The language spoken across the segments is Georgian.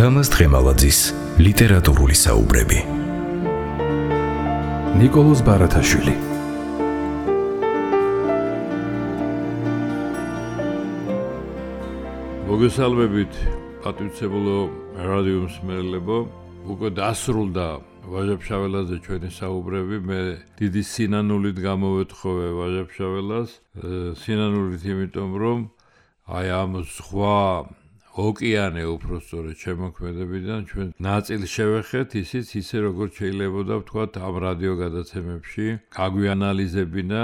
თამაზ თხემალაძის ლიტერატურული საუბრები. ნიკოლოზ ბარათაშვილი. მოგესალმებით, პატივცემულო რადიო მსმენელებო. უკვე დასრულდა ვაჟა-ფშაველაძე ჩვენი საუბრები. მე დიდი სინანულით გამოვეთხოვე ვაჟა-ფშაველას. სინანულით იმიტომ, რომ აი ამ სხვა ოკეანე უпростоრე შემოქმედებიდან ჩვენ ნაწილ შევეხეთ, ისიც ისე როგორც შეიძლებოდა ვთქვათ ამ რადიო გადაცემებში გაგვიანალიზებინა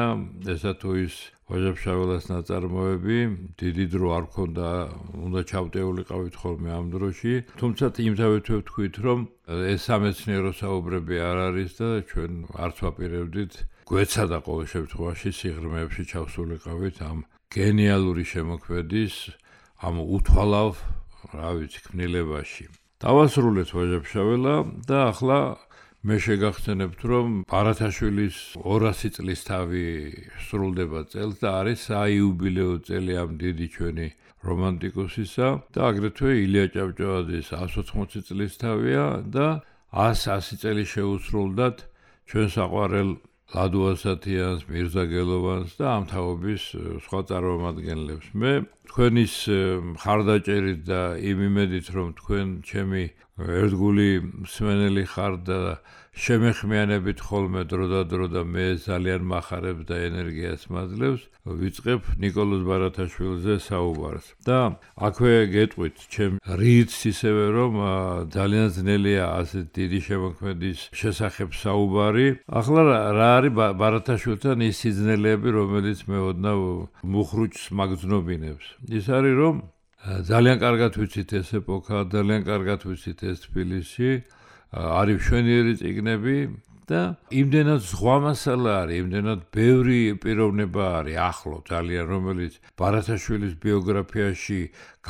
ესა თუ ის ვაჟა-ფშაველას ნაწარმოები. დიდი დრო არ ქონდა, უნდა ჩავტეულიყავით ხოლმე ამ დროში. თუმცა იმთავითვე ვთქვით, რომ ეს სამეცნიერო საუბრები არ არის და ჩვენ არც ვაპირებდით გვეცადა ყოველ შემთხვევაში სიღრმეებში ჩავსულიყავით ამ გენიალური შემოქმედის ამ უთვალავ, რა ვიცი, ქმნილებაში. დავასრულეთ ვაჟა-ფშაველა და ახლა მე შეგახსენებთ, რომ ბარათაშვილის 200 წლის თავი სრულდება წელს და არის საიუბილეო წელი ამ დიდი ჩვენი რომანტიკოსისა და აგრეთვე ილია ჭავჭავაძის 180 წლის თავია და 100 წელი შეუსრულდათ ჩვენ საყვარელ ლადო ასათიანს, მირზა გელოვანს და ამ თაობის სხვა წარმომადგენლებს. მე თქვენის მხარდაჭერით და იმ იმედით, რომ თქვენ ჩემი ერთგული მსმენელი ხართ და შემეხმიანებით ხოლმე დროდადრო და მე ძალიან მახარებ და ენერგიას მაძლევს, ვიწყებ ნიკოლოზ ბარათაშვილზე საუბარს. და აქვე გეტყვით, ჩემ რითს ისევე, რომ ძალიან ძნელია ასეთ დიდი შემოქმედის შესახებ საუბარი. ახლა რა არის ბარათაშვილთან ის სიძნელეები, რომელიც მე ოდნავ მუხრუჭს მაგძნობინებს. ის არის, რომ ძალიან კარგად ვიცით ეს ეპოქა, ძალიან კარგად ვიცით ეს თბილისი, არის მშვენიერი წიგნები და იმდენად ზღვა მასალა არის, იმდენად ბევრი პიროვნება არის ახლო ძალიან, რომელიც ბარათაშვილის ბიოგრაფიაში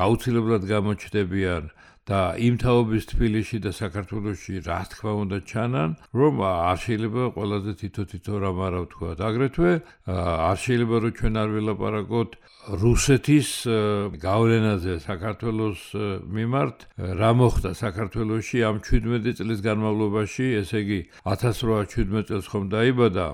გაუცილებლად გამოჩნდებიან და იმ თაობის თბილისში და საქართველოში რა თქმა უნდა ჩანან, რომ არ შეიძლება ყველაზე თითო რამ არა ვთქვათ. აგრეთვე არ შეიძლება რომ ჩვენ არ ვილაპარაკოთ რუსეთის გავლენაზე საქართველოს მიმართ, რა მოხდა საქართველოში ამ 17 წლის განმავლობაში, ესე იგი 1817 წელს ხომ დაიბადა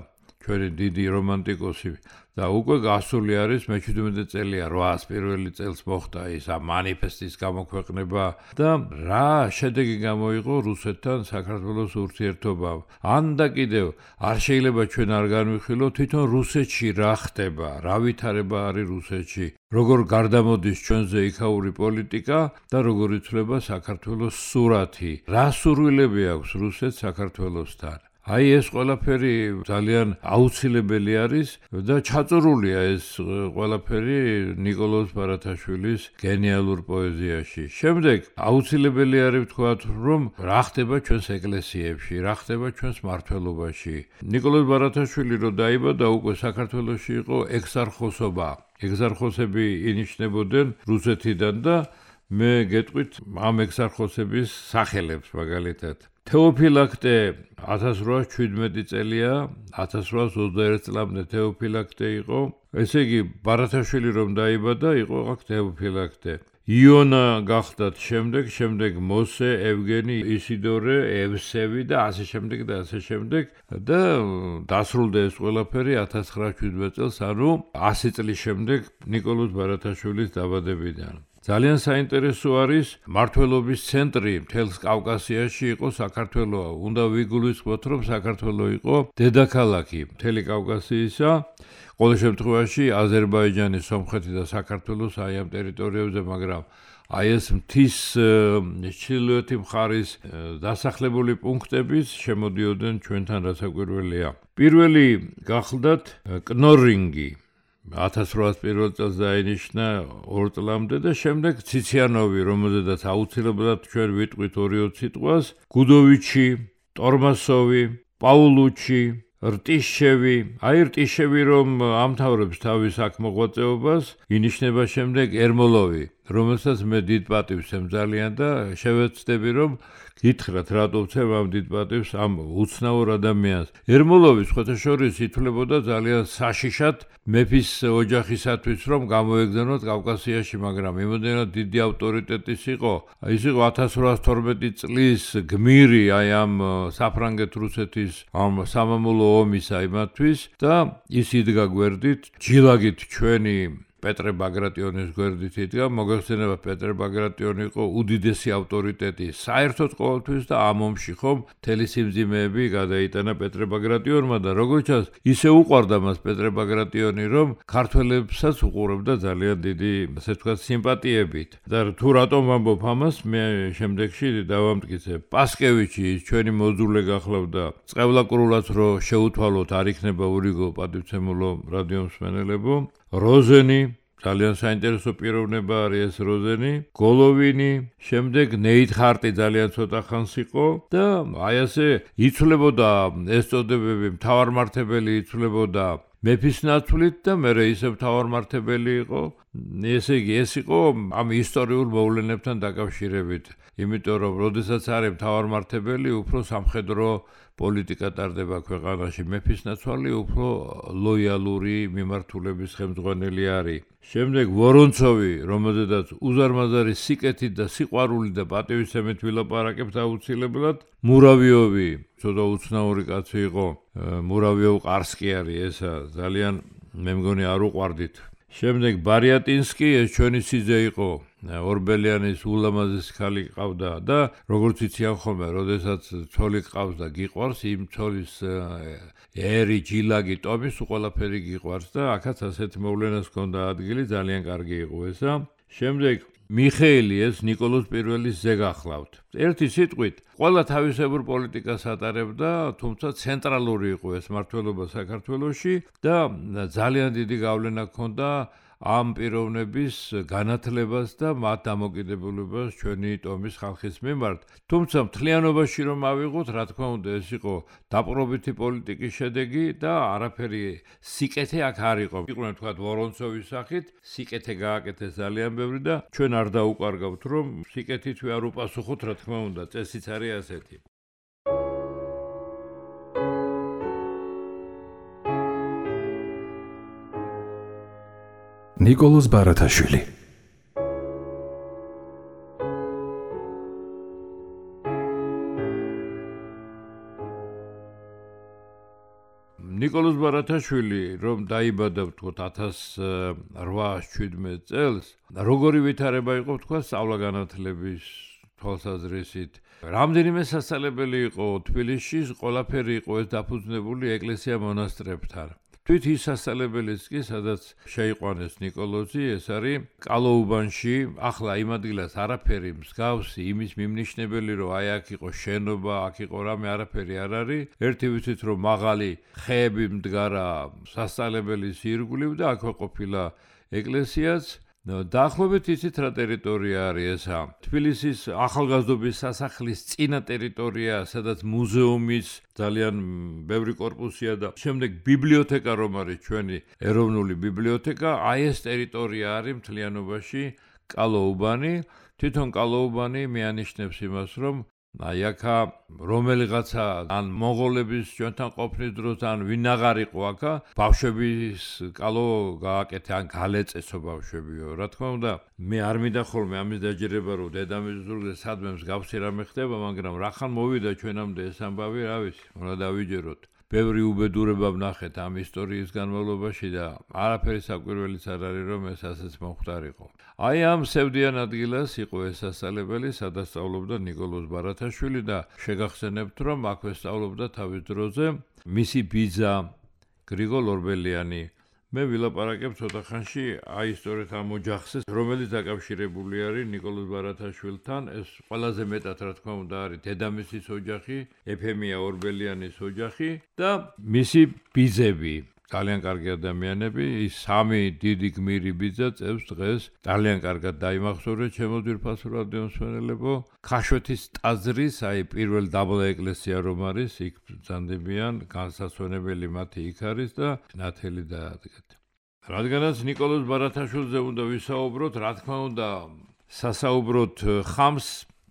ჩვენი დიდი რომანტიკოსი და უკვე გასული არის მე-17 წელია 801 წელს მოხდა ის ამ მანიფესტის გამოქვეყნება და რა შედეგი გამოიღო რუსეთთან საქართველოს ურთიერთობამ. ან და კიდევ არ შეიძლება ჩვენ არ განვიხილოთ თვითონ რუსეთში რა ხდება, რა ვითარება არის რუსეთში, როგორ გარდამოდის ჩვენზე იქაური პოლიტიკა და როგორ იცვლება საქართველოს სურათი, რა სურვილები აქვს რუსეთს საქართველოსთან. აი ეს ყველაფერი ძალიან აუცილებელი არის და ჩაწურულია ეს ყველაფერი ნიკოლოზ ბარათაშვილის გენიალურ პოეზიაში. შემდეგ აუცილებელი არის ვთქვათ, რომ რა ხდება ჩვენს ეკლესიებში, რა ხდება ჩვენს მმართველობაში. ნიკოლოზ ბარათაშვილი რო დაიბადა, უკვე საქართველოში იყო ეგზარხოსობა. ეგზარხოსები ინიშნებოდნენ რუსეთიდან და მე გეტყვით ამ ეგზარხოსების სახელებს მაგალითად. თეოფილაქტე 1817 წელია, 1821 წლამდე თეოფილაქტე იყო. ესე იგი, ბარათაშვილი რომ დაიბადა, იყო აქ თეოფილაქტე. იონა გახდათ შემდეგ მოსე, ევგენი, ისიდორე, ევსევი და ასე შემდეგ და ასე შემდეგ და დასრულდა ეს ყველაფერი 1917 წელს, ანუ 100 წლის შემდეგ ნიკოლოზ ბარათაშვილის დაბადებიდან. ძალიან საინტერესო არის მმართველობის ცენტრი მთელს კავკასიაში იყო საქართველო. უნდა ვიგულისხმოთ, რომ საქართველო იყო დედაქალაქი მთელი კავკასიისა. ყოველ შემთხვევაში აზერბაიჯანი, სომხეთი და საქართველოს აი ამ ტერიტორიებზე, მაგრამ აი ეს მთის ჩრდილოეთი მხარის დასახლებული პუნქტების შემოდიოდნენ ჩვენთან, რაც საკვირველია. პირველი გახლდათ კნორინგი 1801 წელს დაინიშნა 2 წლამდე და შემდეგ ციციანოვი, რომელზედაც აუცილებლად ჩვენ ვიტყვით 2-20 სიტყვას, გუდოვიჩი, ტორმასოვი, პაულუჩი, რტიშევი. აი რტიშევი რომ ამთავრებს თავის აქ მოღვაწეობას, ინიშნება შემდეგ ერმოლოვი. რომელსაც მე დიდ პატივს ემძალიან და შევეცდები რომ გითხრათ რატო ვცემ ამ დიდ პატივს ამ უცნაურ ადამიანს. ერმოლოვი სხვათაშორის ითვლებოდა ძალიან საშიშად მეფის ოჯახისათვის რომ გამოეგზავნოთ კავკასიაში, მაგრამ იმოდენად დიდი ავტორიტეტის იყო. ის იყო 1812 წლის გმირი აი ამ საფრანგეთ-რუსეთის ამ სამამულო ომის აიმათთვის და ის იდგა გვერდით, ჯილაგით ჩვენი პეტრე ბაგრატიონის გვერდით იდგა, მოგეხსენება პეტრე ბაგრატიონი იყო უდიდესი ავტორიტეტი საერთოდ ყოველთვის და ამ ომში ხომ მთელი სიმძიმეები გადაიტანა პეტრე ბაგრატიონმა და როგორც ჩანს, ისე უყვარდა მას პეტრე ბაგრატიონი, რომ ქართველებსაც უყურებდა ძალიან დიდი, ასე ვთქვათ, სიმპათიებით. და თუ რატომ ვამბობ ამას, მე შემდეგში დავამტკიცებ. პასკევიჩი ჩვენი მოძულე გახლავდა, წყევლაკრულად რომ შეუთვალოთ არ იქნება ურიგო პატივცემულო რადიო მსმენელებო. როზენი, ძალიან საინტერესო პიროვნება არის ეს როზენი, გოლოვინი, შემდეგ ნეითხარტი ძალიან ცოტა ხანს იყო და აი ასე იცვლებოდა ეს წოდებები, მთავარმართებელი იცვლებოდა მეფის ნაცვლით და მერე ისე მთავარმართებელი იყო. ესე იგი, ეს იყო ამ ისტორიულ მოვლენებთან დაკავშირებით, იმიტომ რომ როდესაც არის მთავარმართებელი, უფრო სამხედრო პოლიტიკა ტარდება ქვეყანაში, მეფის ნაცვალი უფრო ლოიალური მიმართულების ხელმძღვანელი არის. შემდეგ ვორონცოვი, რომელზედაც უზარმაზარი სიკეთით და სიყვარულით და პატივისცემით ვილაპარაკებთ აუცილებლად, მურავიოვი, ცოტა უცნაური კაცი იყო, მურავიოვ-ყარსკი არის ესა, ძალიან მე მგონი არ უყვარდით. შემდეგ ბარიატინსკი, ეს ჩვენი სიძე იყო, ორბელიანის ულამაზესი ქალი ყავდა და როგორც იციან ხოლმე, როდესაც ცოლი ყავს და გიყვარს, იმ ცოლის ერი, ჯილაგი, ტომის ყველაფერი გიყვარს და აქაც ასეთი მოვლენას ჰქონდა ადგილი, ძალიან კარგი იყო ესა. შემდეგ მიხეილი, ეს ნიკოლოზ პირველის ძე გახლავთ. ერთი სიტყვით, ყველა თავისებურ პოლიტიკას ატარებდა, თუმცა ცენტრალური იყო ეს მმართველობა საქართველოში და ძალიან დიდი გავლენა ჰქონდა ამ პიროვნების განათლებას და მათ დამოკიდებულებას ჩვენი ტომის ხალხის მიმართ. თუმცა მთლიანობაში რომ ავიღოთ, რა თქმა უნდა, ეს იყო დაპყრობითი პოლიტიკის შედეგი და არაფერი სიკეთე აქ არ იყო. იყვნენ თქვა ვორონცოვის სახით, სიკეთე გააკეთეს ძალიან ბევრი და ჩვენ არ დაუკარგავთ, რომ სიკეთით არ უპასუხოთ, რა თქმა უნდა, წესიც არის ასეთი. ნიკოლოზ ბარათაშვილი. ნიკოლოზ ბარათაშვილი, რომ დაიბადა ვთქვათ 1817 წელს, როგორი ვითარება იყო ვთქვათ სწავლა-განათლების თვალსაზრისით. რამდენიმე სასწავლებელი იყო თბილისში, ყველაფერი იყო ეს დაფუძნებული ეკლესია-მონასტრებთან. თვით ის სასწავლებელიც კი, სადაც შეიყვანეს ნიკოლოზი, ეს არის კალოუბანში, ახლა იმ ადგილას არაფერი მსგავსი, იმის მიმნიშნებელი, რომ აი აქ იყო შენობა, აქ იყო რამე, არაფერი არ არის. ერთი ვიცით, რომ მაღალი ხეები მდგარა სასწავლებელის ირგვლივ და აქვე ყოფილა ეკლესიაც. დაახლოებით იცით რა ტერიტორია არის ესა. თბილისის ახალგაზრდობის სასახლის წინა ტერიტორია, სადაც მუზეუმის ძალიან ბევრი კორპუსია და შემდეგ ბიბლიოთეკა რომ არის ჩვენი ეროვნული ბიბლიოთეკა, აი ეს ტერიტორია არის მთლიანობაში კალოუბანი. თვითონ კალოუბანი მეანიშნებს იმას, რომ აი აქა რომელიღაცა ან მონღოლების ჩვენთან ყოფნის დროს ან ვინ აღარ იყო აქა, ბავშვების კალო გააკეთე ან გალეწესო ბავშვებიო. რა თქმა უნდა, მე არ მინდა ხოლმე ამის დაჯერება, რომ დედამისის ზურგზე სადმე მსგავსი რამე ხდება, მაგრამ რახან მოვიდა ჩვენამდე ეს ამბავი, რა ვიცი, უნდა დავიჯეროთ. ბევრი უბედურება ვნახეთ ამ ისტორიის განმავლობაში და არაფერი საკვირველიც არ არის, რომ ეს ასეც მომხდარიყო. აი ამ სევდიან ადგილას იყო ეს სასწავლებელი, სადაც სწავლობდა ნიკოლოზ ბარათაშვილი და შეგახსენებთ, რომ აქვე სწავლობდა თავის დროზე მისი ბიძა გრიგოლ ორბელიანი. მე ვილაპარაკებ ცოტა ხანში აი სწორედ ამ ოჯახზე, რომელიც დაკავშირებული არის ნიკოლოზ ბარათაშვილთან. ეს ყველაზე მეტად რა თქმა უნდა არის დედამისის ოჯახი, ეფემია ორბელიანის ოჯახი და მისი ბიძები. ძალიან კარგი ადამიანები, ის სამი დიდი გმირი ბიძა წევს დღეს ძალიან კარგად დაიმახსოვრეთ ჩემო ძვირფასო რადიო მსმენელებო. ქაშვეთის ტაძრის, აი პირველ დაბლა ეკლესია რომ არის, იქ ბრძანდებიან, განსასვენებელი მათი იქ არის და ნათელი დაადგეთ. რადგანაც ნიკოლოზ ბარათაშვილზე უნდა ვისაუბროთ, რა თქმა უნდა, სასაუბროთ ხამს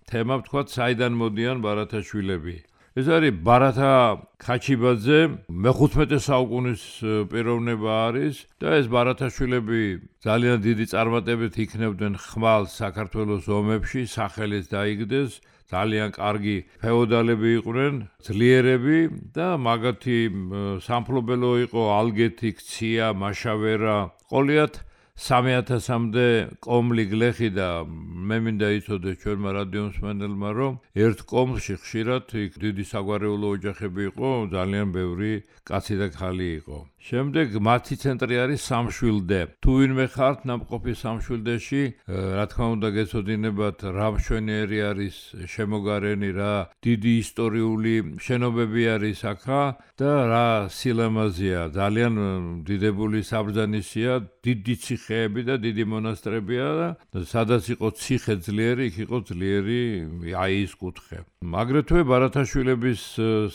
თემა ვთქვათ, საიდან მოდიან ბარათაშვილები. ეს არის ბარათა ხაჩიბაძე, მე-15 საუკუნის პიროვნება არის და ეს ბარათაშვილები ძალიან დიდი წარმატებით იქნებდნენ ხმალ საქართველოს ომებში, სახელიც დაიგდეს, ძალიან კარგი ფეოდალები იყვნენ, ძლიერები და მაგათი სამფლობელო იყო ალგეთი, ქცია, მაშავერა, ყოლიათ 3000-მდე კომლი გლეხი და მე მინდა იცოდეს ჩვენმა რადიომსმენელმა, რომ ერთ კომლში ხშირად იქ დიდი საგვარეულო ოჯახები იყო, ძალიან ბევრი კაცი და ქალი იყო. შემდეგ მათი ცენტრი არის სამშვილდე. თუ ვინმე ხართ ნამყოფი სამშვილდეში, რა თქმა უნდა გეცოდინებათ რა მშვენიერი არის შემოგარენი, რა დიდი ისტორიული შენობები არის აქა და რა სილამაზეა, ძალიან დიდებული საბრძანისია, დიდი ციხეები და დიდი მონასტრებია და სადაც იყო ციხე ძლიერი, იქ იყო ძლიერი აიის კუთხე. აგრეთვე ბარათაშვილების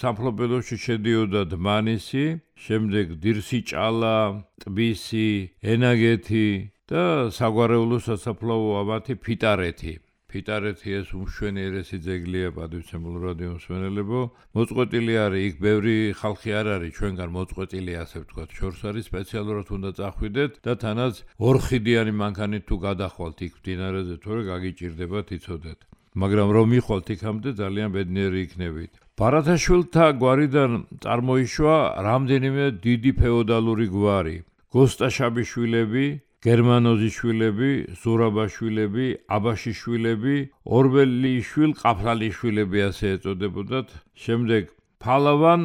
სამფლობელოში შედიოდა დმანისი, შემდეგ დირსიჭალა, ტბისი, ენაგეთი და საგვარეულო სასაფლაო ამათი ფიტარეთი. ფიტარეთი ეს უმშვენიერესი ძეგლია პატივცემულ რადიომსმენელებო. მოწყვეტილი არის, იქ ბევრი ხალხი არ არის ჩვენგან მოწყვეტილი, ასე ვთქვათ, შორს არის, სპეციალურად უნდა წახვიდეთ და თანაც ორხიდიანი მანქანით თუ გადახვალთ იქ მდინარეზე, თორე გაგიჭირდებათ იცოდეთ. მაგრამ რომ მიხვალთ იქამდე ძალიან ბედნიერი იქნებით. ბარათაშვილთა გვარიდან წარმოიშვა რამდენიმე დიდი ფეოდალური გვარი. გოსტაშაბიშვილები, გერმანოზიშვილები, ზურაბაშვილები, აბაშიშვილები, ორბელიშვილ ყაფლალიშვილები ასე ეწოდებოდათ. შემდეგ ფალავან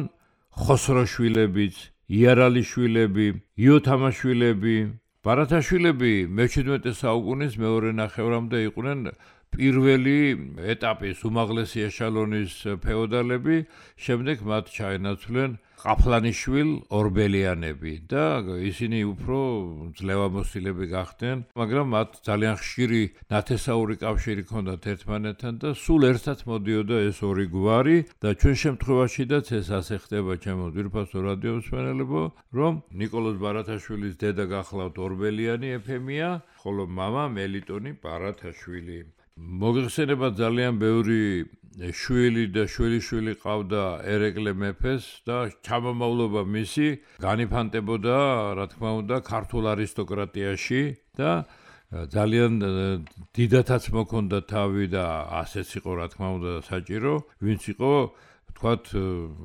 ხოსროშვილებიც, იარალიშვილები, იოთამაშვილები. ბარათაშვილები მე-17 საუკუნის მეორე ნახევრამდე იყვნენ პირველი ეტაპის უმაღლესი ეშალონის ფეოდალები, შემდეგ მათ ჩაენაცვლენ ყაფლანიშვილ ორბელიანები და ისინი უფრო ძლევამოსილები გახდნენ, მაგრამ მათ ძალიან ხშირი ნათესაური კავშირი ჰქონდათ ერთმანეთთან და სულ ერთად მოდიოდა ეს ორი გვარი და ჩვენ შემთხვევაშიდაც ეს ასე ხდება ჩემო ძვირფასო რადიომსმენელებო, რომ ნიკოლოზ ბარათაშვილის დედა გახლავთ ორბელიანი ეფემია, ხოლო მამა მელიტონი ბარათაშვილი. მოგეხსენება ძალიან ბევრი შვილი და შვილიშვილი ყავდა ერეკლე მეფეს და ჩამომავლობა მისი განიფანტებოდა, რა თქმა უნდა, ქართულ არისტოკრატიაში და ძალიან დიდათაც მოქონდა თავი და ასეც იყო, რა თქმა უნდა, საჭირო, ვინც იყო ვთქვათ,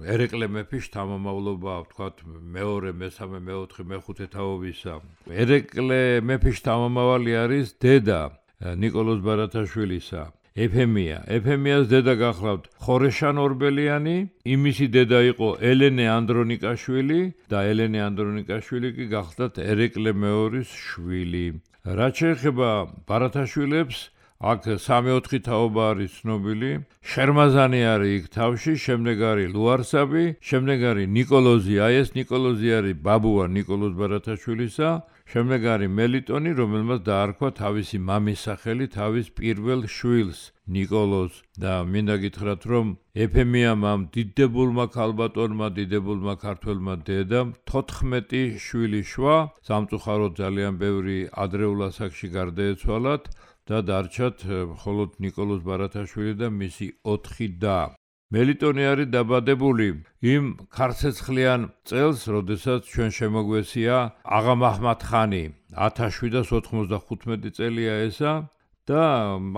ერეკლე მეფის შთამომავლობა, ვთქვათ, მეორე, მესამე, მეოთხე, მეხუთე თაობისა. ერეკლე მეფის შთამომავალი არის დედა ნიკოლოზ ბარათაშვილისა, ეფემია. ეფემიას დედა გახლავთ ხორეშან ორბელიანი, იმისი დედა იყო ელენე ანდრონიკაშვილი და ელენე ანდრონიკაშვილი კი გახლდათ ერეკლე მეორის შვილი. რაც შეეხება ბარათაშვილებს, აქ 3-4 თაობა არის ცნობილი. შერმაზანი არის იქ თავში, შემდეგ არის ლუარსაბი, შემდეგ არის ნიკოლოზი, აი ეს ნიკოლოზი არის ბაბუა ნიკოლოზ ბარათაშვილისა. შემდეგ არის მელიტონი, რომელმაც დაარქვა თავისი მამის სახელი თავის პირველ შვილს, ნიკოლოზს და მინდა გითხრათ, რომ ეფემიამ ამ დიდებულმა ქალბატონმა, დიდებულმა ქართველმა დედამ 14 შვილი შვა, სამწუხაროდ ძალიან ბევრი ადრეულ ასაკში გარდაეცვალათ და დარჩათ მხოლოდ ნიკოლოზ ბარათაშვილი და მისი 4 და. მელიტონი არის დაბადებული იმ ქარცეცხლიან წელს, როდესაც ჩვენ შემოგვესია აღა მაჰმად ხანი, 1795 წელია ესა და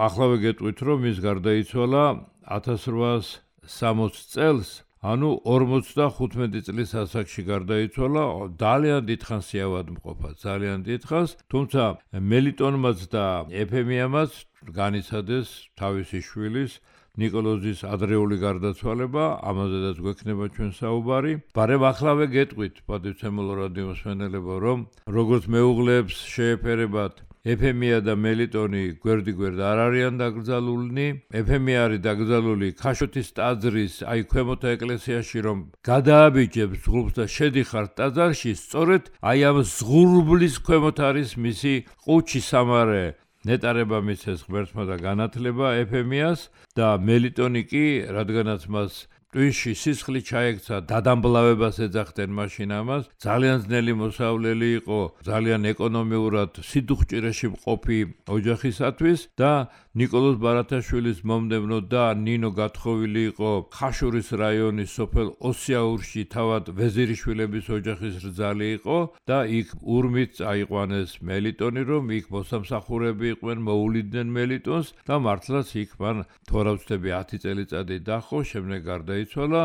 ახლავე გეტყვით, რომ ის გარდაიცვალა 1860 წელს, ანუ 45 წლის ასაკში გარდაიცვალა, ძალიან დიდხანს ავადმყოფა, ძალიან დიდხანს, თუმცა მელიტონმაც და ეფემიამაც განიცადეს თავისი შვილის ნიკოლოზის ადრეული გარდაცვალება, ამაზედაც გვექნება ჩვენ საუბარი. ბარემ ახლავე გეტყვით, პატივცემულო რადიომსმენელებო, რომ როგორც მეუღლეებს შეეფერებათ ეფემია და მელიტონი გვერდიგვერდ არ არიან დაკრძალულნი. ეფემია არის დაკრძალული ქაშოთის ტაძრის, აი ქვემოთა ეკლესიაში რომ გადააბიჯებს ზღურბლს და შედიხართ ტაძარში, სწორედ აი ამ ზღურბლის ქვემოთ არის მისი ყუჩი სამარე. ნეტარება მისცეს ღმერთმა და განათლება ეფემიას და მელიტონი კი, რადგანაც მას ტვინში სისხლი ჩაექცა, დადამბლავებას ეძახდნენ მაშინ ამას. ძალიან ძნელი მოსავლელი იყო, ძალიან ეკონომიურად სიდუხჭირეში მყოფი ოჯახისათვის და ნიკოლოზ ბარათაშვილის მომდევნო და ნინო გათხოვილი იყო ხაშურის რაიონის სოფელ ოსიაურში, თავად ვეზირიშვილების ოჯახის რძალი იყო და იქ ურმით წაიყვანეს მელიტონი, რომ იქ მოსამსახურები იყვნენ, მოულიდნენ მელიტონს და მართლაც იქ მან თორავცდები 10 წელიწადი დახო, შემდეგ გარდაიცვალა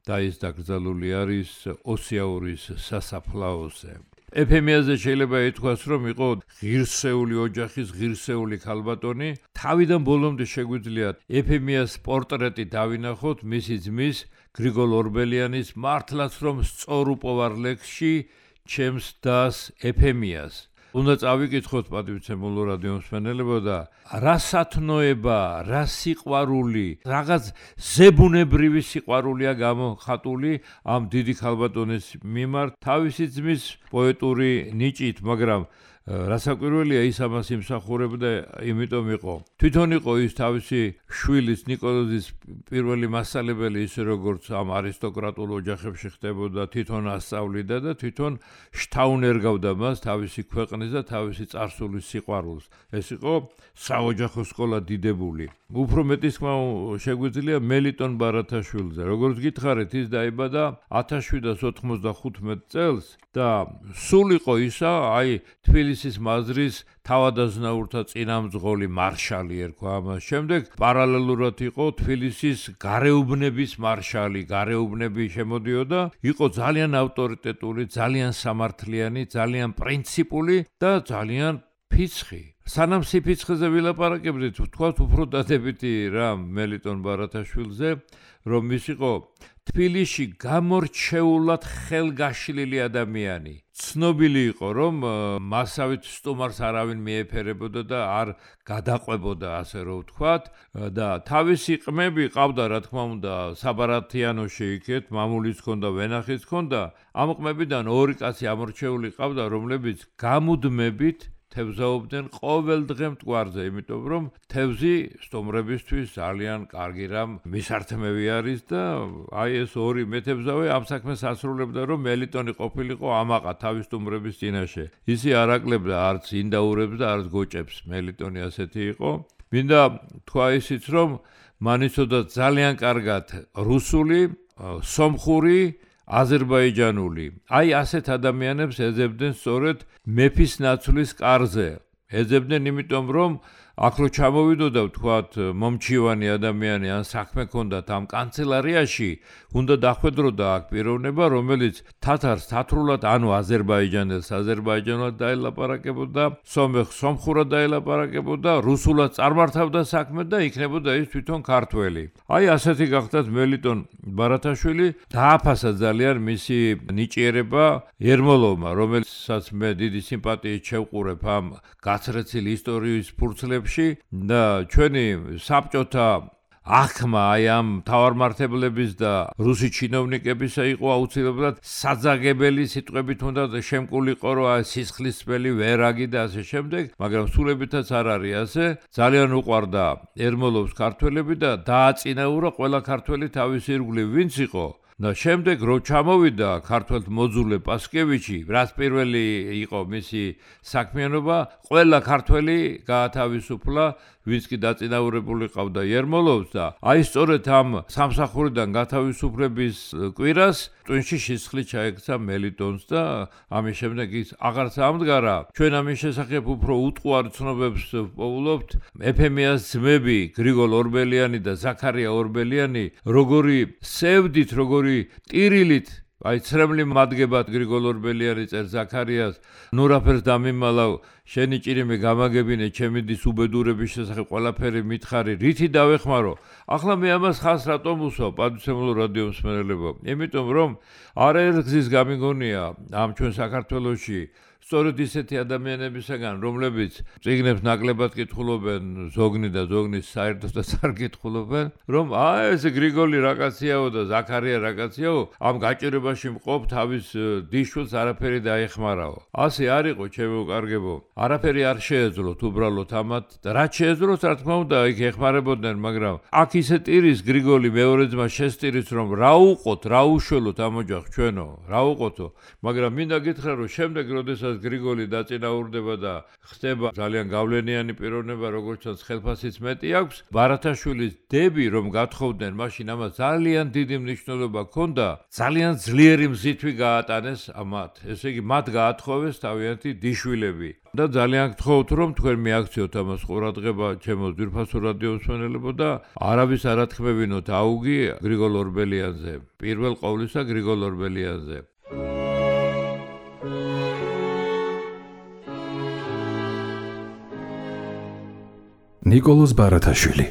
და ის დაკრძალული არის ოსიაურის სასაფლაოზე. ეფემიაზე შეიძლება ითქვას, რომ იყო ღირსეული ოჯახის ღირსეული ქალბატონი. თავიდან ბოლომდე შეგვიძლია ეფემიას პორტრეტი დავინახოთ მისი ძმის გრიგოლ ორბელიანის მართლაც რომ სწორუპოვარ ლექსში ჩემს დას ეფემიას. უნდა წავიკითხოთ პატივცემულო რადიო მსმენელებო და რა სათნოება, რა სიყვარული, რაღაც ზებუნებრივი სიყვარულია გამოხატული ამ დიდი ქალბატონის მიმართ თავისი ძმის პოეტური ნიჭით, მაგრამ რასაკვირველია ის ამას იმსახურებდა, იმიტომ იყო თვითონ იყო ის თავისი შვილის ნიკოლოზის პირველი მასწავლებელი, ისე როგორც ამ არისტოკრატულ ოჯახებში ხდებოდა, თვითონ ასწავლიდა და თვითონ შთაუნერგავდა მას თავისი ქვეყნის და თავისი წარსულის სიყვარულს. ეს იყო საოჯახო სკოლა დიდებული. უფრო მეტი თქმა შეგვიძლია მელიტონ ბარათაშვილზე. როგორც გითხარით, ის დაიბადა 1795 წელს და სულ იყო ისა, აი თბილისის მაზრის თავადაზნაურთა წინამძღოლი მარშალი ერქვა ამას. შემდეგ პარალელურად იყო თბილისის გარეუბნების მარშალი, გარეუბნები შემოდიოდა, იყო ძალიან ავტორიტეტული, ძალიან სამართლიანი, ძალიან პრინციპული და ძალიან ფიცხი. სანამ სიფიცხეზე ვილაპარაკებდით, ვთქვათ უფრო დადებითი რამ მელიტონ ბარათაშვილზე, რომ ის იყო თბილისში გამორჩეულად ხელგაშლილი ადამიანი. ცნობილი იყო, რომ მასავით სტუმარს არავინ მიეფერებოდა და არ გადაყვებოდა, ასე რომ ვთქვათ, და თავისი ყმები ყავდა, რა თქმა უნდა, საბარათიანოში იქეთ, მამულის ჰქონდა, ვენახის ჰქონდა. ამ ყმებიდან ორი კაცი ამორჩეული ყავდა, რომლებიც გამუდმებით თევზაობდნენ ყოველ დღე მტკვარზე, იმიტომ რომ თევზი სტუმრებისთვის ძალიან კარგი რამ მისართმევი არის და აი ეს ორი მეთევზავე ამ საქმეს ასრულებდა, რომ მელიტონი ყოფილიყო ამაყა თავის სტუმრების წინაშე. ისი არ აკლებდა არც ინდაურებს და არც გოჭებს, მელიტონი ასეთი იყო. მინდა თქვა ისიც, რომ მან იცოდა ძალიან კარგად რუსული, სომხური, აზერბაიჯანული. აი ასეთ ადამიანებს ეძებდნენ სწორედ მეფის ნაცვლის კარზე. ეძებდნენ იმიტომ, რომ აქ რო ჩამოვიდოდა, ვთქვათ, მომჩივანი ადამიანი ან საქმე ჰქონდათ ამ კანცელარიაში, უნდა დახვედროდა აქ პიროვნება, რომელიც თათარს თათრულად, ანუ აზერბაიჯანელს აზერბაიჯანულად დაელაპარაკებოდა, სომეხს სომხურად დაელაპარაკებოდა, რუსულად წარმართავდა საქმე და იქნებოდა ის თვითონ ქართველი. აი ასეთი გახდათ მელიტონ ბარათაშვილი, დააფასა ძალიან მისი ნიჭიერება ერმოლოვმა, რომელსაც მე დიდი სიმპათიით შევყურებ ამ გაცრეცილ ისტორიის ფურცლებში და ჩვენი საბჭოთა ახმა აი ამ თავარმართებლების და რუსი ჩინოვნიკებისა იყო აუცილებლად საძაგებელი სიტყვებით უნდა შემკულიყო, რომ სისხლისმელი ვერაგი და ასე შემდეგ, მაგრამ სულებითაც არ არის ასე. ძალიან უყვარდა ერმოლოვს ქართველები და დააწინაურა ყველა ქართველი თავის ირგვლივ ვინც იყო. და შემდეგ რო ჩამოვიდა ქართველთ მოძულე პასკევიჩი, რაც პირველი იყო მისი საქმიანობა, ყველა ქართველი გაათავისუფლა, ვინც კი დაწინაურებული ყავდა ერმოლოვს და აი სწორედ ამ სამსახურიდან გათავისუფლების კვირას ტვინში სისხლი ჩაექცა მელიტონს და ამის შემდეგ ის აღარც ამდგარა. ჩვენ ამის შესახებ უფრო უტყუარ ცნობებს პოულობთ. ეფემიას ძმები გრიგოლ ორბელიანი და ზაქარია ორბელიანი როგორი სევდით, როგორი ტირილით აი ცრემლი მადგებად გრიგოლ ორბელიანი წერ ზაქარიას, ნურაფერს დამიმალავ, შენი ჭირიმე გამაგებინე, ჩემი დის უბედურების შესახებ ყველაფერი მითხარი, რითი დავეხმარო. ახლა მე ამას ხას რატომ უსვავ, პატივცემულო რადიო მსმენელებო? იმიტომ რომ არაერთ გზის გამიგონია ამ ჩვენ საქართველოში სწორედ ისეთი ადამიანებისაგან, რომლებიც წიგნებს ნაკლებად კითხულობენ, ზოგნი და ზოგნის საერთოდ და არ კითხულობენ, რომ ეს გრიგოლი რაკაციაო და ზაქარია რაკაციაო, ამ გაჭირებაში მყოფ თავის დიშვილს არაფერი დაეხმარაო. ასე არ იყო, ჩემო კარგებო. არაფერი არ შეეძლოთ უბრალოდ ამათ და რაც შეეძლოთ, რა თქმა უნდა, იქ ეხმარებოდნენ, მაგრამ აქ ისე ტირის გრიგოლი მეორე ძმა შესტირის, რომ რა უყოთ, რა უშველოთ ამ ოჯახს ჩვენო, რა უყოთო, მაგრამ მინდა გითხრა, რომ შემდეგ, როდესაც გრიგოლი დაწინაურდება და ხდება ძალიან გავლენიანი პიროვნება, როგორც ჩანს, ხელფასიც მეტი აქვს, ბარათაშვილის დები, რომ გათხოვდნენ, მაშინ ამას ძალიან დიდი მნიშვნელობა ჰქონდა, ძალიან ძლიერი მზითვი გაატანეს ამათ. ესე იგი, მათ გაათხოვეს თავიანთი დიშვილები. და ძალიან გთხოვთ, რომ თქვენ მიაქციოთ ამას ყურადღება, ჩემო ძვირფასო რადიო მსმენელებო და არავის არ ათქმევინოთ აუგი გრიგოლ ორბელიანზე. პირველ ყოვლისა გრიგოლ ორბელიანზე. ნიკოლოზ ბარათაშვილი.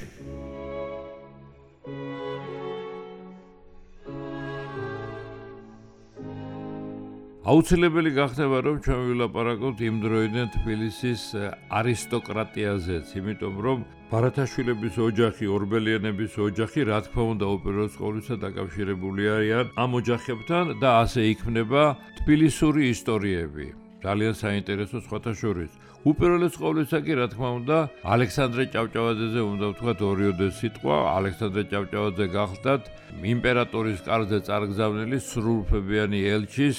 აუცილებელი გახდება, რომ ჩვენ ვილაპარაკოთ იმ დროიდან თბილისის არისტოკრატიაზეც, იმიტომ რომ ბარათაშვილების ოჯახი, ორბელიანების ოჯახი, რა თქმა უნდა, უპირველეს ყოვლისა დაკავშირებული არიან ამ ოჯახებთან და ასე იქმნება თბილისური ისტორიები. ძალიან საინტერესო სხვათა შორის. უპირველეს ყოვლისა კი, რა თქმა უნდა, ალექსანდრე ჭავჭავაძეზე უნდა ვთქვათ ორიოდე სიტყვა. ალექსანდრე ჭავჭავაძე გახლდათ იმპერატორის კარზე წარგზავნილი სრულუფლებიანი ელჩის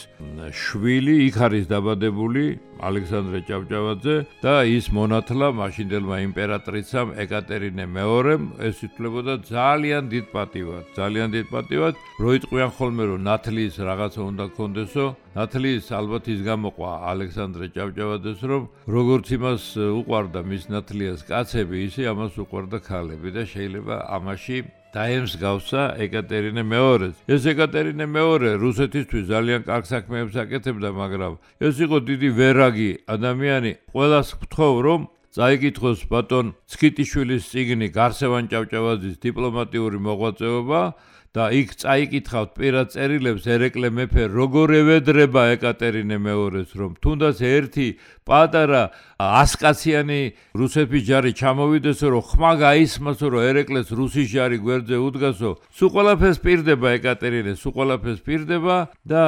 შვილი, იქ არის დაბადებული ალექსანდრე ჭავჭავაძე და ის მონათლა მაშინდელმა იმპერატრიცამ ეკატერინე მეორემ, ეს ითვლებოდა ძალიან დიდ პატივად, ძალიან დიდ პატივად, რო იტყვიან ხოლმე, რომ ნათლიის რაღაცა უნდა გქონდესო, ნათლიის ალბათ ის გამოყვა ალექსანდრე ჭავჭავაძეს, რომ როგორც იმას უყვარდა მის ნათლიას კაცები, ისე ამას უყვარდა ქალები და შეიძლება ამაში დაემსგავსა ეკატერინე მეორეს. ეს ეკატერინე მეორე რუსეთისთვის ძალიან კარგ საქმეებს აკეთებდა, მაგრამ ეს იყო დიდი ვერაგი ადამიანი. ყველას ვთხოვ, რომ წაიკითხოს ბატონ ცქიტიშვილის წიგნი გარსევან ჭავჭავაძის დიპლომატიური მოღვაწეობა და იქ წაიკითხავთ პირად წერილებს ერეკლე მეფე როგორ ევედრება ეკატერინე მეორეს, რომ თუნდაც ერთი პატარა 100-კაციანი რუსეთის ჯარი ჩამოვიდესო, რომ ხმა გაისმასო, რომ ერეკლეს რუსის ჯარი გვერდზე უდგასო, სულ ყველაფერს პირდება ეკატერინე, სულ ყველაფერს პირდება და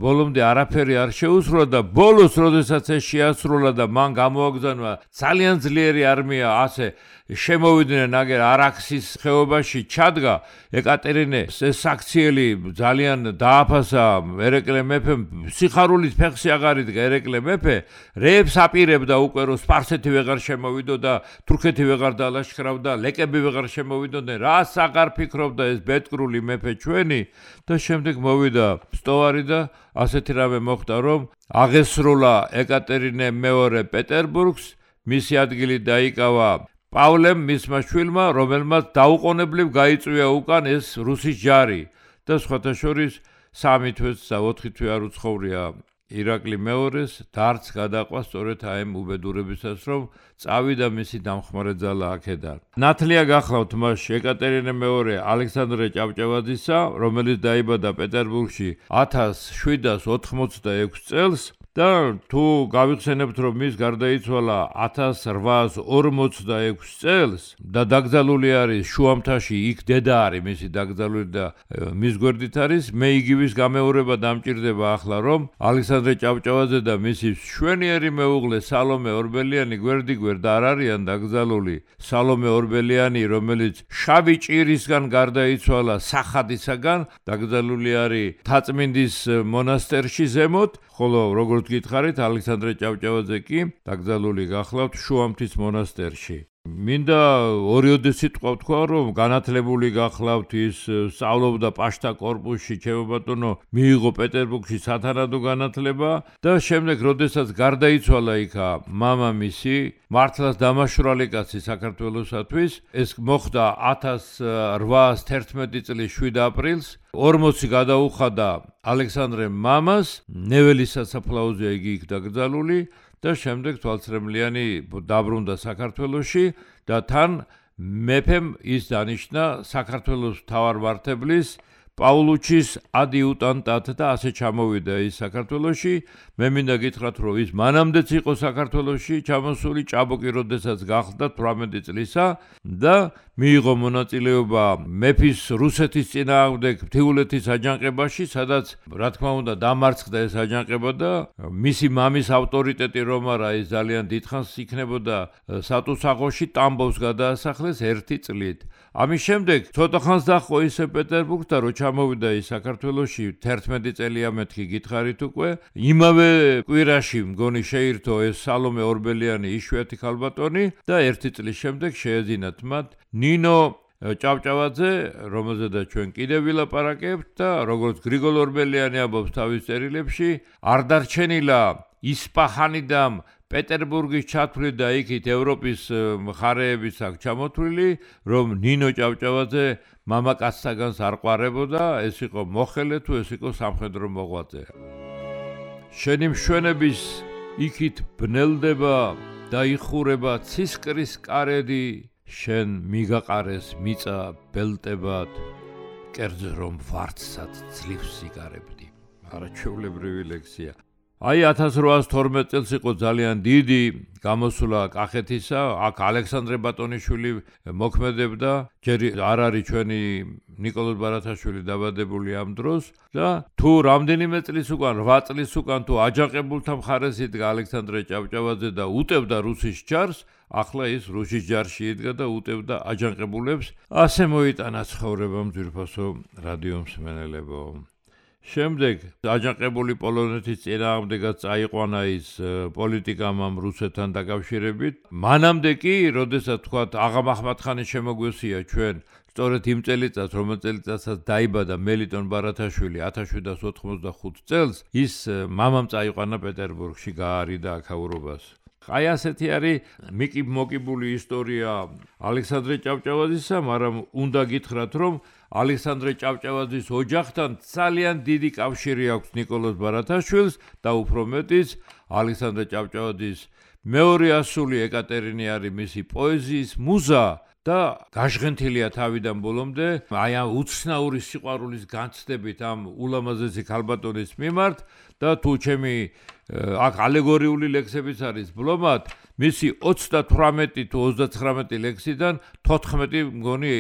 ბოლომდე არაფერი არ შეუსრულა და ბოლოს, როდესაც ეს შეასრულა და მან გამოაგზავნა ძალიან ძლიერი არმია, ასე შემოვიდნენ აგერ არაქსის ხეობაში ჩადგა ეკატერინე ეს საქციელი ძალიან დააფასა ერეკლე მეფემ სიხარულით ფეხში აღარ იდგა ერეკლე მეფე რეებს აპირებდა უკვე რომ სპარსეთი ვეღარ შემოვიდო და თურქეთი ვეღარ დალაშქრავდა ლეკები ვეღარ შემოვიდოდნენ რას აღარ ფიქრობდა ეს ბედკრული მეფე ჩვენი და შემდეგ მოვიდა სტოვარი და ასეთი რამე მოხდა რომ აღესრულა ეკატერინე მეორე პეტერბურგს მისი ადგილი დაიკავა პავლემ მისმა შვილმა, რომელმაც დაუყოვნებლივ გაიწვია უკან ეს რუსის ჯარი და სხვათა შორის 3 თვეც და 4 თვე არ უცხოვრია ირაკლი მეორეს დარც გადაყვა სწორედ აემ უბედურებისას რომ წავიდა მისი დამხმარე ძალა აქედან. ნათლია გახლავთ მას ეკატერინე მეორე ალექსანდრე ჭავჭავაძისა, რომელიც დაიბადა პეტერბურგში 1786 წელს და თუ გავიხსენებთ რომ მის გარდაიცვალა 1846 წელს და დაკრძალული არის შუამთაში, იქ დედა არის მისი დაკრძალული და მის გვერდით არის, მე იგივის გამეორება დამჭირდება ახლა რომ ალექსანდრე ჭავჭავაძე და მისი შვენიერი მეუღლე სალომე ორბელიანი გვერდიგვერდ არ არიან დაკრძალული. სალომე ორბელიანი, რომელიც შავი ჭირისგან გარდაიცვალა სახადისაგან, დაკრძალული არის თაწმინდის მონასტერში ზემოთ, ხოლო როგორც გითხარით, ალექსანდრე ჭავჭავაძე კი დაკრძალული გახლავთ შუამთის მონასტერში. მინდა ორიოდე სიტყვა ვთქვა, რომ განათლებული გახლავთ, ის სწავლობდა პაშტა კორპუსში, ჩემო ბატონო, მიიღო პეტერბურგში სათანადო განათლება და შემდეგ, როდესაც გარდაიცვალა იქა მამამისი, მართლაც დამაშვრალი კაცი საქართველოსათვის, ეს მოხდა 1811 წლის 7 აპრილს, 40 გადაუხადა ალექსანდრემ მამას, ნეველის სასაფლაოზე იგი იქ დაკრძალული და შემდეგ თვალწრემლიანი დაბრუნდა საქართველოში და თან მეფემ ის დანიშნა საქართველოს მთავარმართებლის პაულუჩის ადიუტანტად და ასე ჩამოვიდა ის საქართველოში. მე მინდა გითხრათ, რომ ის მანამდეც იყო საქართველოში ჩამოსული, ჭაბუკი როდესაც გახდა 18 წლისა და მიიღო მონაწილეობა მეფის რუსეთის წინააღმდეგ მთიულეთის აჯანყებაში, სადაც რა თქმა უნდა დამარცხდა ეს აჯანყება და მისი მამის ავტორიტეტი რომ არა, ის ძალიან დიდხანს იქნებოდა სატუსაღოში, ტამბოვს გადაასახლეს 1 წლით. ამის შემდეგ ცოტა ხანს დაჰყო ისე პეტერბურგს და რო ჩამოვიდა ის საქართველოში 11 წელია მეთქი გითხარით უკვე. იმავე კვირაში მგონი შეირთო ეს სალომე ორბელიანი იშვიათი ქალბატონი და 1 წლის შემდეგ შეეძინათ მათ ნინო ჭავჭავაძე, რომელზედაც ჩვენ კიდევ ვილაპარაკებთ და როგორც გრიგოლ ორბელიანი ამბობს თავის წერილებში, არ დარჩენილა ისპაჰანიდან პეტერბურგის ჩათვლით და იქით ევროპის მხარეების აქ ჩამოთვლილი, რომ ნინო ჭავჭავაძე მამაკაცთაგანს არ ყვარებოდა, ეს იყო მოხელე თუ ეს იყო სამხედრო მოღვაწე. შენი მშვენების იქით ბნელდება და იხურება ცისკრის კარედი, შენ მიგაყარეს მიწა ბელტებად, კერძ რომ ვარდსად ძლივს იგარებდი. არაჩვეულებრივი ლექსია. აი 1812 წელს იყო ძალიან დიდი გამოსვლა კახეთისა, აქ ალექსანდრე ბატონიშვილი მოქმედებდა, ჯერ არ არის ჩვენი ნიკოლოზ ბარათაშვილი დაბადებული ამ დროს და თუ რამდენიმე წლის უკან 8 წლის უკან თუ აჯანყებულთა მხარეს იდგა ალექსანდრე ჭავჭავაძე და უტევდა რუსის ჯარს, ახლა ის რუსის ჯარში იდგა და უტევდა აჯანყებულებს. ასე მოიტანა ცხოვრებამ ძვირფასო რადიო მსმენელებო. შემდეგ აჯანყებული პოლონეთის წინააღმდეგაც წაიყვანა ის პოლიტიკამ ამ რუსეთთან დაკავშირებით. მანამდე კი, როდესაც თქვათ აღა მაჰმადხანის შემოგვესია ჩვენ, სწორედ იმ წელიწადს, რომელ წელიწადსაც დაიბადა მელიტონ ბარათაშვილი 1785 წელს, ის მამამ წაიყვანა პეტერბურგში, გაარიდა აქაურობას. აი ასეთი არის მოკიბული ისტორია ალექსანდრე ჭავჭავაძისა, მაგრამ უნდა გითხრათ, რომ ალექსანდრე ჭავჭავაძის ოჯახთან ძალიან დიდი კავშირი აქვს ნიკოლოზ ბარათაშვილს და უფრო მეტიც ალექსანდრე ჭავჭავაძის მეორე ასული ეკატერინე არის მისი პოეზიის მუზა და გაჟღენთილია თავიდან ბოლომდე აი ამ უცნაური სიყვარულის განცდებით ამ ულამაზესი ქალბატონის მიმართ და თუ ჩემი აქ ალეგორიული ლექსებიც არის ბლომად, მისი 38 თუ 39 ლექსიდან 14 მგონი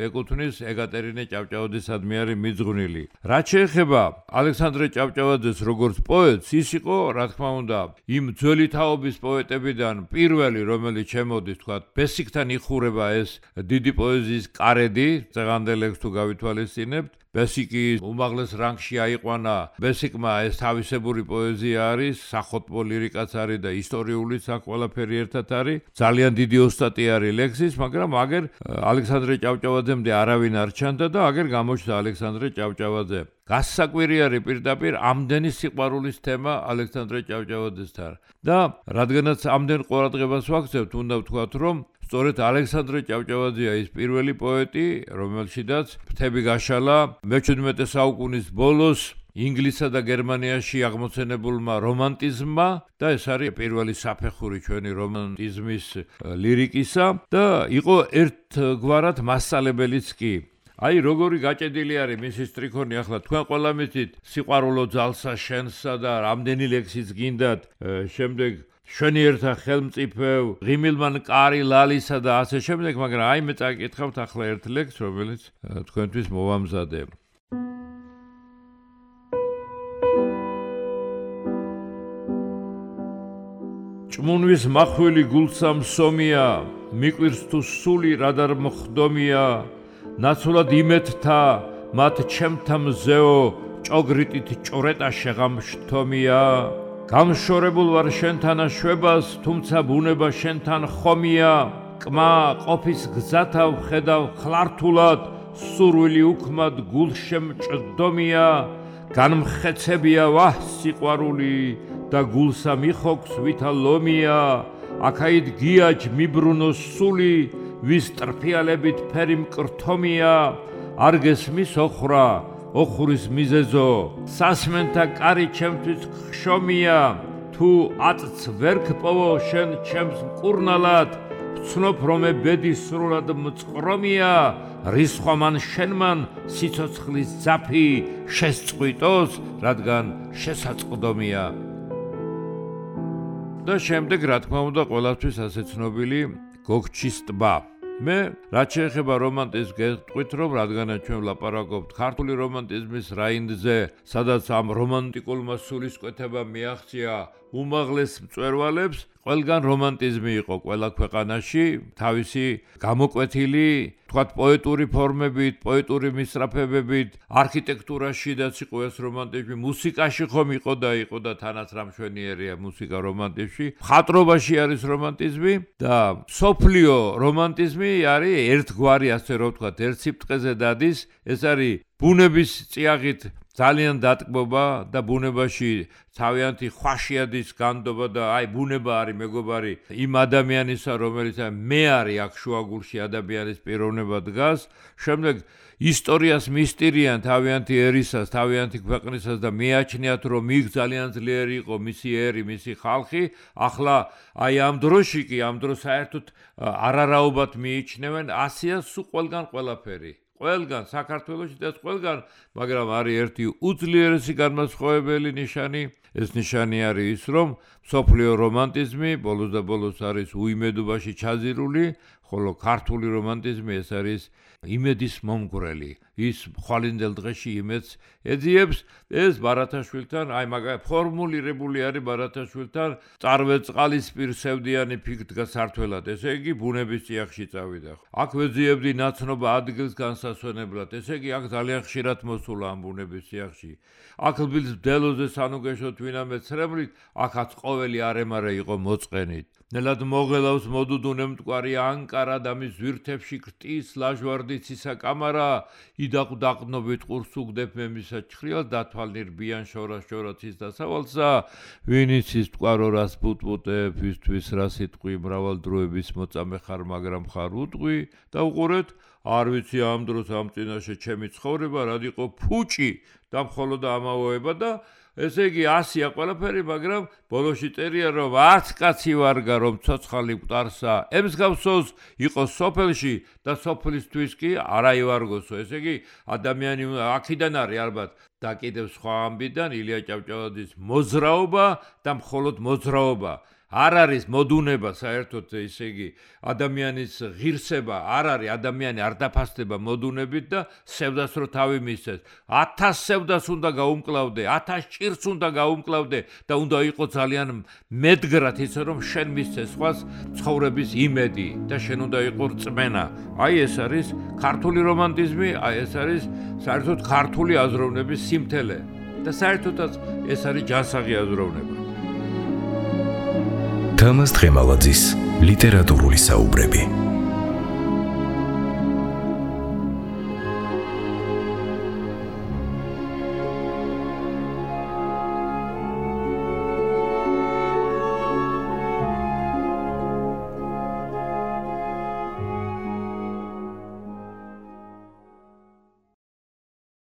ეკუთვნის ეკატერინე ჭავჭავაძისადმი არის მიძღვნილი. რაც შეეხება ალექსანდრე ჭავჭავაძეს როგორც პოეტს, ის იყო, რა თქმა უნდა, იმ ძველი თაობის პოეტებიდან პირველი, რომელიც შემოდის, თქვათ, ბესიკთან იხურება ეს დიდი პოეზიის კარედი, წეღანდელ ლექსს თუ გავითვალისწინებთ. ბესიკი უმაღლეს რანგში აიყვანა, ბესიკმა ეს თავისებური პოეზია არის, სახოტბო ლირიკაც არის და ისტორიულიც აქ ყველაფერი ერთად არის. ძალიან დიდი ოსტატი არის ლექსის, მაგრამ აგერ ალექსანდრე ჭავჭავაძემდე არავინ არ ჩანდა და აგერ გამოჩნდა ალექსანდრე ჭავჭავაძე. გასაკვირი არის პირდაპირ ამდენი სიყვარულის თემა ალექსანდრე ჭავჭავაძესთან. და რადგანაც ამდენ ყურადღებას ვაქცევთ, უნდა ვთქვათ, რომ სწორედ ალექსანდრე ჭავჭავაძეა ის პირველი პოეტი, რომელშიდაც ფრთები გაშალა მე-17 საუკუნის ბოლოს ინგლისსა და გერმანიაში აღმოცენებულმა რომანტიზმმა და ეს არის პირველი საფეხური ჩვენი რომანტიზმის ლირიკისა და იყო ერთგვარად მასწავლებელიც კი. აი როგორი გაჭედილი არის მისი სტრიქონი, ახლა თქვენ ყველა მიცით სიყვარულო ძალსა შენსა და რამდენი ლექსიც გინდათ, შემდეგ შენი ერთა ხელმწიფევ, ღიმილმან კარი ლალისა და ასე შემდეგ, მაგრამ აი მე წაკითხავთ ახლა ერთ ლექსს, რომელიც თქვენთვის მოვამზადე. ჭმუნვის მახვილი გულსამ სომია, მიკვირს თუ სული რადარ მოხდომია, ნაცვლად იმეთთა მათ ჩემთა მზეო, ჭოგრიტით ჭრეტა შეღამშთომია. გამშორებულ ვარ შენთან შვებას, თუმცა ბუნება შენთან ხომია. კმა ყოფის გზათა ვხედავ ხლართულად, სურვილი უქმად გულშემჭდომია. განმხეცებია ვაჰ სიყვარული და გულსა მიხოქს ვითა ლომია. აქაით გიაჯ მიბრუნო სული, ვის ტრფიალებით ფერი მკრთომია. არ გესმის ოხრა, ოხურის მიზეზო, სასმენთა კარი ჩემთვის ხშომია. თუ აწც ვერ გპოვო შენ ჩემს მკურნალად, ვცნობ რომ ბედი სრულად მწყრომია. რისხვამან შენმან სიცოცხლის ძაფი შესწყვიტოს, რადგან შესაწყდომია. და შემდეგ რა თქმა უნდა ყველასთვის ასე ცნობილი გოგჩის ტბა. მე რაც შეეხება რომანტიზმს გეტყვით, რომ რადგანაც ჩვენ ვლაპარაკობთ ქართული რომანტიზმის რაინდზე, სადაც ამ რომანტიკულმა სულისკვეთებამ მიაღწია უმაღლეს მწვერვალებს, ყველგან რომანტიზმი იყო ყველა ქვეყანაში, თავისი გამოკვეთილი, თქვათ პოეტური ფორმებით, პოეტური მისწრაფებებით, არქიტექტურაშიდაც იყო ეს რომანტიზმი, მუსიკაში ხომ იყო და თანაც რამშვენიერია მუსიკა რომანტიზმში, მხატვრობაში არის რომანტიზმი და სოფლიო რომანტიზმი არის ერთგვარი, ასე რომ ვთქვათ, ერთ სიბრტყეზე დადის, ეს არის ბუნების წიაღით ძალიან დატკბობა და ბუნებაში თავიანთი ხვაშიადის განდობა და აი ბუნება არის მეგობარი იმ ადამიანისა, რომელიც მე არის აქ შუაგულში ადამიანის პიროვნება დგას, შემდეგ ისტორიას მისტირიან თავიანთი ერისას, თავიანთი ქვეყნისას და მიაჩნიათ, რომ იქ ძალიან ძლიერი იყო მისი ერი, მისი ხალხი, ახლა აი ამ დროში კი, ამ დროს საერთოდ არარაობად მიიჩნევენ, ასეა სულ ყველგან ყველაფერი. ყველგან საქართველოში და ყველგან, მაგრამ არის ერთი უძლიერესი განმასხვავებელი ნიშანი, ეს ნიშანი არის ის, რომ სოფლიო რომანტიზმი ბოლოს და ბოლოს არის უიმედობაში ჩაზირული, ხოლო ქართული რომანტიზმი ეს არის იმედის მომგვრელი. ის ხვალინდელ დღეში იმედს ეძიებს, ეს ბარათაშვილთან, აი მაგალითად ფორმულირებული არის ბარათაშვილთან, წარვე წყალისპირ სევდიანი ფიქ დგას სართველად, ესე იგი ბუნების წიაღში წავიდა. აქ ვეძიებდი ნაცნობა ადგილს განსასვენებლად, ესე იგი აქ ძალიან ხშირად მოსულა ამ ბუნების წიაღში. აქ ბილს ბდელოზე სანუგეშოთ ვინამე ცრემლით, აქაც ყოველი არემარე იყო მოწყენით. ნელად მოგელავს მოდუდუნე მტკვარი ანკარა და მის ზვირთებში ქტის ლაჟვარდით სისაკამარა, იდაყდაყნობით ყურს უგდებ მე მისა ჩხრილს დათვალნირბიან შორაშორაცის დასავალსა, ვინიც ის მტკვარო რას პუტპუტებ, ისთვის რა სიტყვი მრავალ დროების მოწამე ხარ, მაგრამ ხარ უტყვი და უყურეთ, არ ვიცი ამ დროს ამ წინაშე ჩემი ცხოვრება რად იყო ფუჭი და მხოლოდ ამავოება და ესე იგი 100-ია ყველაფერი, მაგრამ ბოლოში წერია, რომ არც კაცი ვარგა, რომ ცოცხალი მკვდარსა, ემსგავსოს იყო სოფელში და სოფლისთვის კი არა ივარგოსო. ესე იგი, ადამიანი აქედან არის ალბათ და კიდევ სხვა ამბიდან ილია ჭავჭავაძის მოძრაობა და მხოლოდ მოძრაობა. არ არის მოდუნება საერთოდ, ესე იგი, ადამიანის ღირსება არ არის, ადამიანი არ დაფასდება მოდუნებით და სევდას რო თავი მისცეს. 1000 სევდას უნდა გაუმკლავდე, 1000 ჭირს უნდა გაუმკლავდე და უნდა იყო ძალიან მედგრად ისე რომ შენ მისცეს სხვას ცხოვრების იმედი და შენ უნდა იყო რწმენა. აი ეს არის ქართული რომანტიზმი, აი ეს არის საერთოდ ქართული აზროვნების სიმთელე და საერთოდაც ეს არის ჯანსაღი აზროვნება. თამაზ დღემალაძის ლიტერატურული საუბრები.